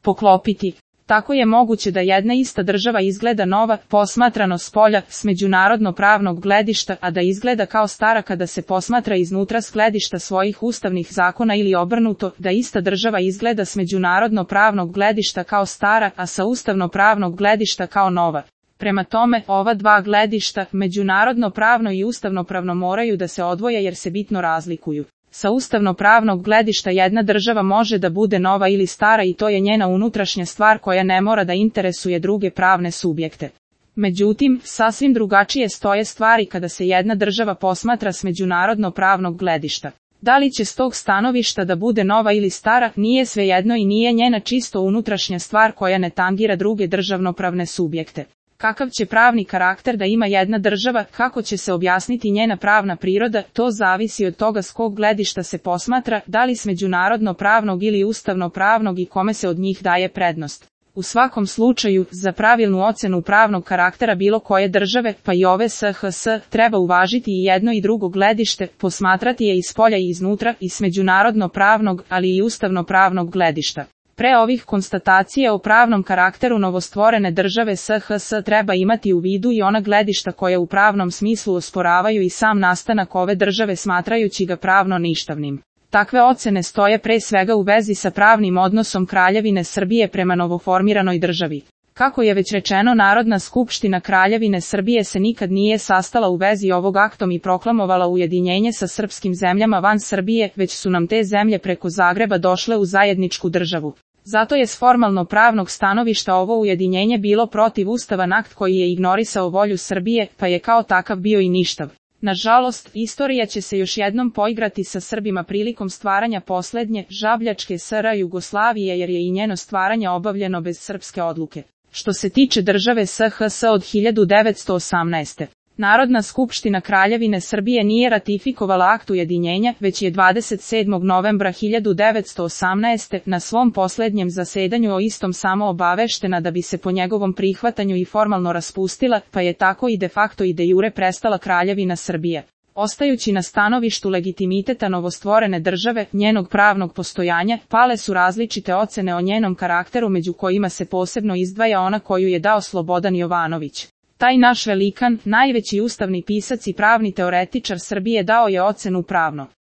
poklopiti. Tako je moguće da jedna ista država izgleda nova, posmatrano spolja, s međunarodno-pravnog gledišta, a da izgleda kao stara kada se posmatra iznutra s gledišta svojih ustavnih zakona ili obrnuto, da ista država izgleda s međunarodno-pravnog gledišta kao stara, a sa ustavno-pravnog gledišta kao nova. Prema tome, ova dva gledišta, međunarodno-pravno i ustavno-pravno moraju da se odvoje jer se bitno razlikuju. Sa ustavno-pravnog gledišta jedna država može da bude nova ili stara i to je njena unutrašnja stvar koja ne mora da interesuje druge pravne subjekte. Međutim, sasvim drugačije stoje stvari kada se jedna država posmatra s međunarodno-pravnog gledišta. Da li će s tog stanovišta da bude nova ili stara, nije svejedno i nije njena čisto unutrašnja stvar koja ne tangira druge državnopravne subjekte. Kakav će pravni karakter da ima jedna država, kako će se objasniti njena pravna priroda, to zavisi od toga s kog gledišta se posmatra, da li s međunarodno-pravnog ili ustavno-pravnog i kome se od njih daje prednost. U svakom slučaju, za pravilnu ocenu pravnog karaktera bilo koje države, pa i ove SHS, treba uvažiti i jedno i drugo gledište, posmatrati je iz polja i iznutra, i s međunarodno-pravnog, ali i ustavno-pravnog gledišta. Pre ovih konstatacija o pravnom karakteru novostvorene države SHS treba imati u vidu i ona gledišta koje u pravnom smislu osporavaju i sam nastanak ove države smatrajući ga pravno ništavnim. Takve ocene stoje pre svega u vezi sa pravnim odnosom Kraljevine Srbije prema novoformiranoj državi. Kako je već rečeno, Narodna skupština Kraljevine Srbije se nikad nije sastala u vezi ovog aktom i proklamovala ujedinjenje sa srpskim zemljama van Srbije, već su nam te zemlje preko Zagreba došle u zajedničku državu. Zato je s formalno pravnog stanovišta ovo ujedinjenje bilo protivustavan akt koji je ignorisao volju Srbije, pa je kao takav bio i ništav. Nažalost, istorija će se još jednom poigrati sa Srbima prilikom stvaranja poslednje, žabljačke SR Jugoslavije jer je i njeno stvaranje obavljeno bez srpske odluke. Što se tiče države SHS od 1918. Narodna skupština Kraljevine Srbije nije ratifikovala akt ujedinjenja, već je 27. novembra 1918. na svom poslednjem zasedanju o istom samo obaveštena da bi se po njegovom prihvatanju i formalno raspustila, pa je tako i de facto i de jure prestala Kraljevina Srbije. Ostajući na stanovištu legitimiteta novostvorene države, njenog pravnog postojanja, pale su različite ocene o njenom karakteru među kojima se posebno izdvaja ona koju je dao Slobodan Jovanović. Taj naš velikan, najveći ustavni pisac i pravni teoretičar Srbije dao je ocenu pravno